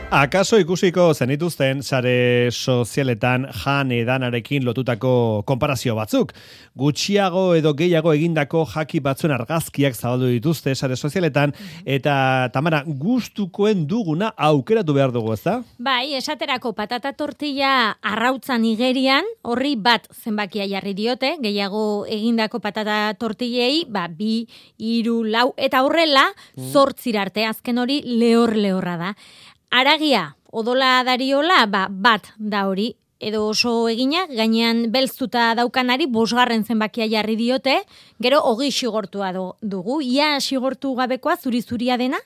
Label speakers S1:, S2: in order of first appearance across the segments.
S1: Akaso ikusiko zenituzten sare sozialetan jan edanarekin lotutako konparazio batzuk. Gutxiago edo gehiago egindako jaki batzuen argazkiak zabaldu dituzte sare sozialetan, eta Tamara, gustukoen duguna aukeratu behar dugu, ezta?
S2: Bai, esaterako patata tortilla arrautzan igerian, horri bat zenbakia jarri diote, gehiago egindako patata tortillei, 2, 3, 4, eta horrela, 8 arte, azken hori lehorra da. Aragia, odola dariola, bat da hori, edo oso eginak, gainean belztuta daukanari 5 zenbakia jarri diote, gero 20 xigortua dugu, ia xigortu gabekoa zuri-zuria dena,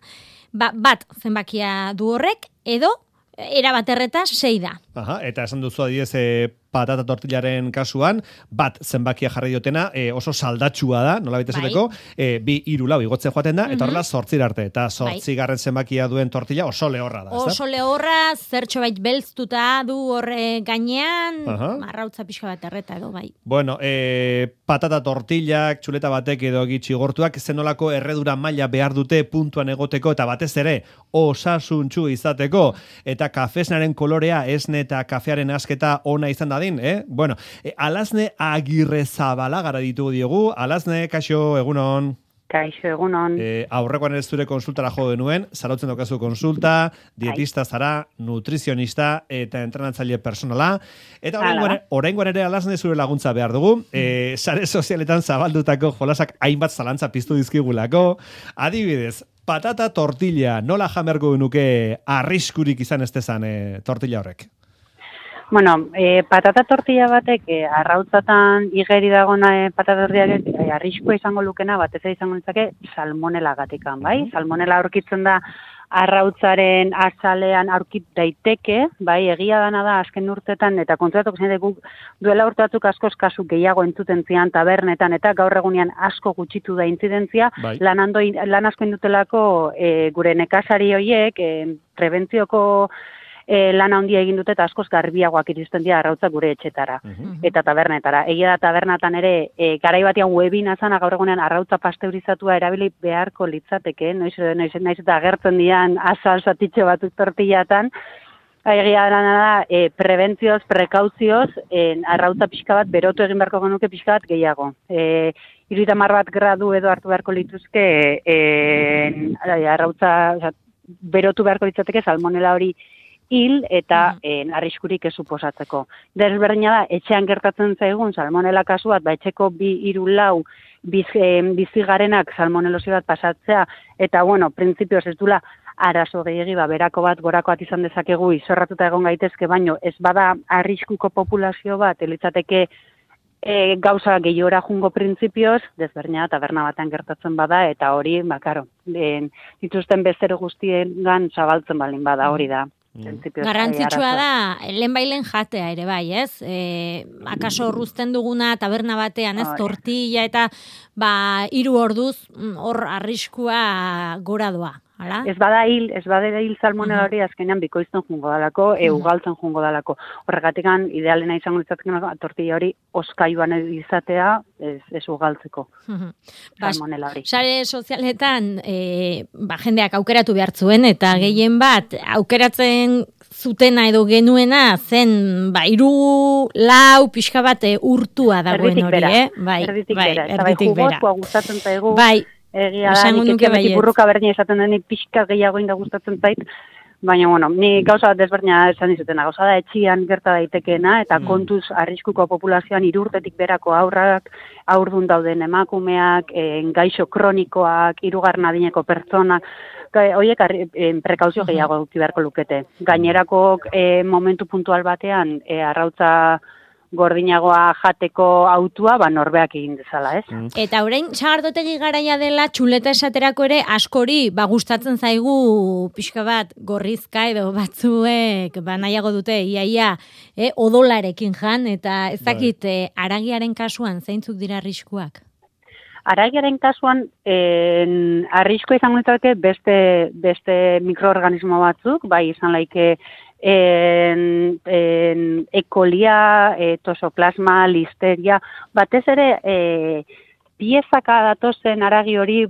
S2: bat zenbakia du horrek, edo erabat erreta 6 da.
S1: Aha, eta esan duzu adiez patata tortillaren kasuan, bat zenbakia jarri diotena, oso saldatxua da, nola baita esateko, 2, 3, 4 igotzen joaten da, eta horrela 8 arte, eta 8 zenbakia duen tortilla oso lehorra da.
S2: Oso lehorra, zertxo bait belztuta du horre gainean, arrautza pixka bat erreta edo, bai.
S1: Bueno, patata tortillak, txuleta batek edo gitxigortuak, zenolako erredura maila behar dute puntuan egoteko, eta batez ere, osasuntxu izateko, eta kafesnaren kolorea, esne eta kafearen asketa ona izan dadin, Bueno, Alazne Agirrezabalaga ditugu diogu. Alazne, kaixo, egunon.
S3: Kaixo, egunon.
S1: Aurrekoan ez zure konsultara jo denuen, zarautzen dokazu konsulta, dietista zara, nutrizionista eta entrenatzaile personala. Eta oraingoan ere Alazne zure laguntza behar dugu. Sare sozialetan zabaldutako jolasak hainbat zalantza piztu dizkigulako. Adibidez, patata tortilla, nola jamergo nuke arriskurik izan ez dezan tortilla horrek?
S3: Bueno, patata tortilla batek arrautzatan igeri dagona patata tortillak arriskua izango lukena, batez izango litzake salmonelagatikan, bai? Salmonela aurkitzen da arrautzaren azalean aurkit daiteke, bai, egia dana da azken urtetan, eta kontratuko zen guk duela urte batzuk askoz kasu gehiago entzuten zian tabernetan, eta gaur egunean asko gutxitu da intzidentzia, lan asko indutelako gure nekazari horiek, prebentzioko lan handia egin dute eta askoz garbiagoak iristen dira arrautzak gure etxetara eta tabernetara. Egia da tabernatan ere garai batean webina zana gaur egunean arrautza pasteurizatua erabili beharko litzateke, noiz eta agertzen dian azal zatitxo batzuk tortillatan. Egia da prebentzioz, prekauzioz, arrautza pixka bat berotu egin beharko genuke pixka bat gehiago. 30 gradu edo hartu beharko lituzke arrautza berotu beharko litzateke salmonela hori hil eta arriskurik ez suposatzeko. Desberdina da, etxean gertatzen zaigun salmonela kasu bat, etxeko 2, 3, 4 bizigarenak salmonelosi bat pasatzea, eta printzipioz ez dula arazo gehiagi, berako bat, gorako bat izan dezakegu, izorratuta egon gaitezke, baino ez bada arriskuko populazio bat, elitzateke gauza gehiora jungo printzipioz, desberdina taberna batean gertatzen bada, eta hori, dituzten bezero guztien zabaltzen balin bada, hori da.
S2: Garrantzitsua da, lehenbailen jatea ere bai, ez? Akaso urruzten duguna taberna batean, ez? Tortilla eta 3 orduz hor arriskua gora doa. Hala?
S3: Ez bada hil salmonela hori azkenean bikoizten jungo dalako, ugaltzen jungo dalako. Horregatikan idealena izango litzatzen tortilla hori oskaiuan izatea, ez ugaltzeko salmonela hori.
S2: Sare sozialetan jendeak aukeratu behar zuen, eta gehien bat aukeratzen zutena edo genuena zen 3, 4 pixka bat urtua dagoen hori,
S3: Erditik bera.
S2: Erditik bera.
S3: Jugotua gustatzen zaigu.
S2: Bai.
S3: Egia da, nik etxeabetik burruka berdina esaten denik pixka gehiago inda gustatzen zait, baina, ni gauza bat desberdina esan dizutena, gauza da etxian gerta daitekeena, eta kontuz arriskuko populazioan 3 urtetik berako haurrak, haurdun dauden emakumeak, gaixo kronikoak, 3. adineko pertsonak, horiek prekauzio gehiago eduki beharko lukete. Gainerako momentu puntual batean, arrautza gordinagoa jateko autua, norbeak egin dezala, ez?
S2: Eta orain, sagardotegi garaia dela, txuleta esaterako ere, askori, gustatzen zaigu pixka bat gorrizka edo batzuek, nahiago dute, iaia, odolarekin jan, eta ez dakit, aragiaren kasuan, zeintzuk dira arriskuak?
S3: Aragiaren kasuan, arriskoa izango litzateke beste mikroorganismo batzuk, bai izan laike ekolia, tosoplasma, listeria, batez ere piezaka datozen aragi hori,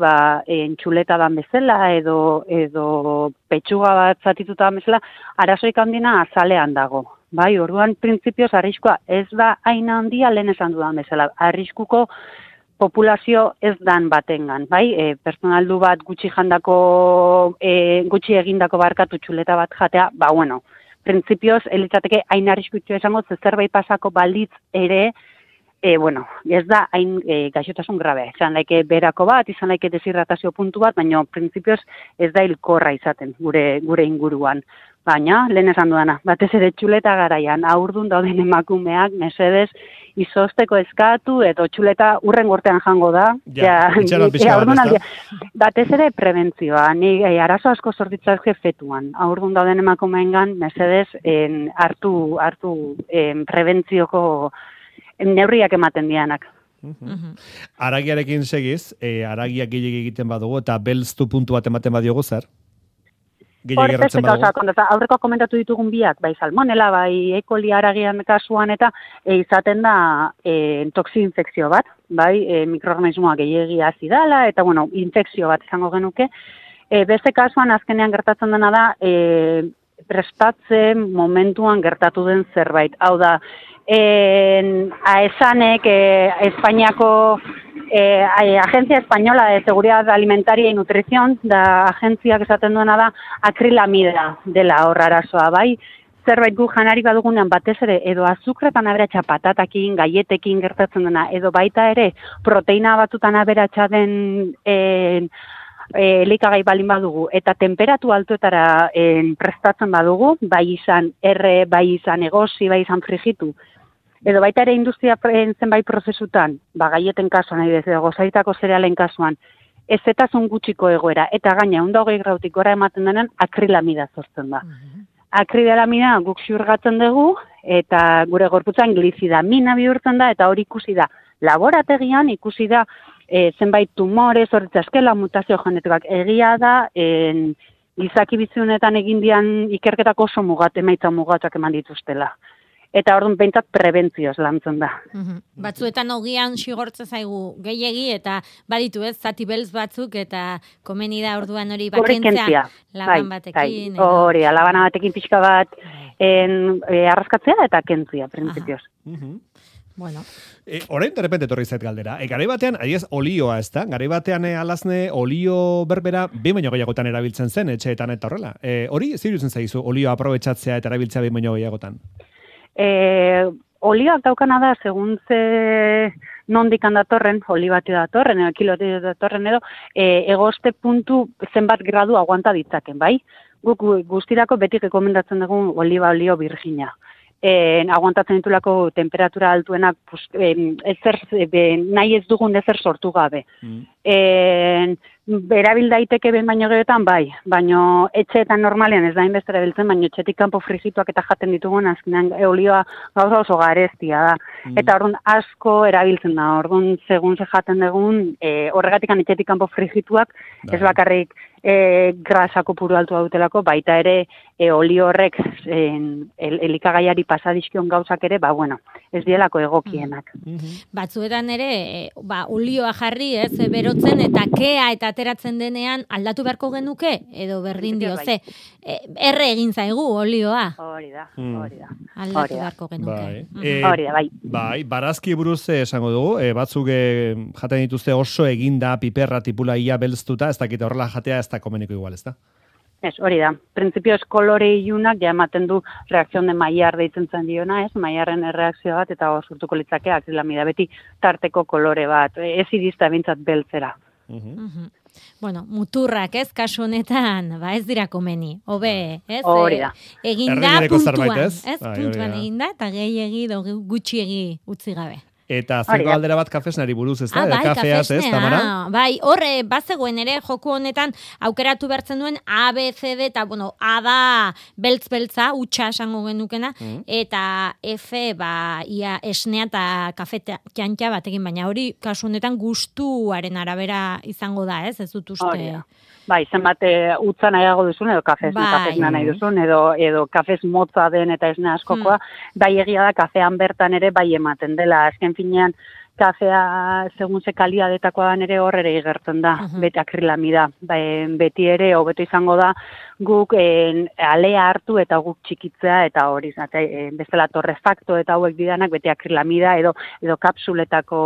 S3: txuleta dan bezala, edo petxuga bat zatituta dan bezala, arazoik handina azalean dago. Bai, orduan, printzipioz, arriskua ez da aina handia lehen esan dudan bezala. Arriskuko populazio ez dan batengan, bai? Personaldu bat gutxi egindako barkatu txuleta bat jatea, printzipioz, elitzateke hain arriskutxo esango, zerbait pasako balditz ere, ez da hain gaixotasun grabe. Izan laike berako bat, izan laike deshidratazio puntu bat, baina printzipioz ez da hilkorra izaten gure inguruan. Baina, lehen esan dudana, batez ere txuleta garaian, haurdun dauden emakumeak, mesedez, izosteko eskatu, edo txuleta urren gortean jango da. Batez ere prebentzioa, ni arazo asko sortitzazke fetuan. Haurdun dauden emakumeengan, mesedez, hartu prebentzioko neurriak ematen dianak.
S1: Aragiarekin segiz, aragiak gehiagik egiten badugu, eta belztu puntu bat ematen badiogu zer?
S3: Aurreko komentatu ditugun biak, bai salmonela, bai E. coli aragian kasuan, eta izaten da toxi-infekzio bat, bai mikroorganismoa gehiegi azidala, eta infekzio bat izango genuke. Beste kasuan azkenean gertatzen dena da, prestatze momentuan gertatu den zerbait. Hau da, AESAnek, Espainiako Agencia Española de Seguridad Alimentaria y Nutrición, da agentziak esaten duena da, akrilamida dela hor arazoa, bai? Zerbait gu janari badugunean batez ere, edo azukretan aberatsa patatakin, gaietekin gertatzen dena, edo baita ere, proteina batzutan aberatsa den elikagai balin badugu, eta temperatu altuetara prestatzen badugu, bai izan erre, bai izan egosi, bai izan frigitu, edo baita ere industria zenbait prozesutan, gaieten kasuan, edo gozaitako zerealen kasuan, ezetasun gutxiko egoera, eta gaina 120 grautik gora ematen denen akrilamida sortzen da. Akrilamida guk xurgatzen dugu, eta gure gorputzan glizidamina bihurtzen da, eta hori ikusi da laborategian, ikusi da zenbait tumore, zorritzaskela, mutazio genetikak egia da, gizaki biziunetan egin dian ikerketako oso emaitza mugatzak eman dituztela. Eta orduan behintzat prebentzioz lantzen da.
S2: Batzuetan ogian xigortza zaigu gehiegi, eta baditu ez, zati beltz batzuk, eta komeni da orduan hori bakentzea laban batekin.
S3: Hori, labana batekin pixka bat arraskatzea eta kentzia, printzipioz.
S1: Orain de repente etorri zait galdera. Garai batean, adiez, olioa, ez da? Garai batean alazne olio berbera behin baino gehiagotan erabiltzen zen, etxeetan eta horrela. Hori, zirutzen zaizu, olioa aprobetxatzea eta erabiltzea behin baino gehiagotan?
S3: Olioak daukana da, segun ze nondikan datorren, oli bati datorren, edo kiloti datorren edo, egoste puntu zenbat gradu aguanta ditzaken, bai? Guk guztirako beti rekomendatzen dugu olio virgina. Aguantatzen ditulako temperatura altuenak nahi ez dugun ezer sortu gabe. Erabil daiteke behin baino gerotan, bai, baino etxeetan normalean ez da inbeste erabiltzen, baino etxetik kanpo frigituak eta jaten ditugun, azkenean olioa gauza oso garestia da. Eta orduan asko erabiltzen da, orduan segun ze jaten dugun, horregatik etxetik kanpo frigituak, ez bakarrik grasa kopuru altua dutelako, baita ere olio horrek elikagaiari pasadizkion gauzak ere, ez dielako egokienak.
S2: Batzuetan ere, olioa jarri, ez, berotzen eta kea eta ateratzen denean aldatu beharko genuke, edo berdin dio, erre egin zaigu olioa.
S3: Hori da.
S2: Aldatu beharko genuke.
S3: Hori da, bai.
S1: Bai, barazki buruz esango dugu, batzuk jaten dituzte oso eginda, piperra, tipula ia belztuta, ez dakite horrela jatea ez da komeniko igual, ez da?
S3: Ez, hori da. Printzipioz kolore ilunak ja ematen du reakzion de maiar deitzen zen diona, ez? Maiarren erreakzio bat eta sortuko litzake akrilamida beti tarteko kolore bat. Ez irizta bintzat beltzera.
S2: Muturrak, ez, kasu honetan, ez dira komeni. Hobe, ez?
S3: Hori da.
S2: Eginda puntuan, ez? Puntuan eginda eta gehiegi gutxiegi utzi gabe.
S1: Eta zeko aldera bat kafesnari buruz, ez da? Kafeaz, ez, Tamara?
S2: Bai, horre, bazegoen ere, joku honetan aukeratu behartzen duen A, B, C, D, eta, A da beltz-beltza, utxa esango genukena, eta F, ia esnea eta kafe txantxa batekin, baina hori, kasu honetan, gustuaren arabera izango da, ez? Ez dut uste...
S3: Bai, zenbat utza nahiago duzun, edo kafesna nahi duzun, edo kafez motza den eta esne askokoa, bai egia da kafean bertan ere bai ematen dela. Azken finean, kafea segun ze kalidadetakoan ere hor ere igertzen da, beti akrilamida. Beti ere, hobeto izango da, guk alea hartu eta guk txikitzea eta hori, bezala torrefakto eta hauek didanak beti akrilamida edo kapsuletako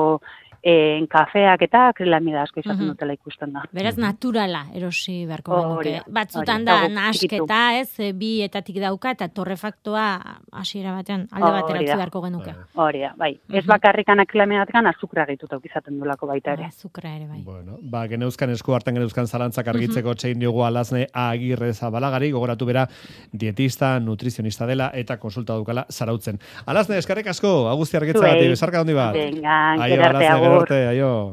S3: kafeak eta akrilamida asko izaten dutela ikusten da.
S2: Beraz, naturala erosi beharko genuke. Batzutan da nasketa, bietatik dauka eta torrefaktoa hasiera batean alde batera utzi beharko genuke.
S3: Hori da, bai. Ez bakarrikan akrilamidatekan azukra gehituta izaten dulako baita ere.
S2: Azukra ere, bai.
S1: Bueno, geneuzkan esku hartan geneuzkan zalantzak argitzeko txein diogu Alasne Agirre Zabalagari, gogoratu bera dietista, nutrizionista dela eta konsulta dukala Zarautzen. Alasne, eskerrik asko, Agustia Argitzagatik, besarka handi bat.
S3: Venga, gerarte agur.
S1: Aio.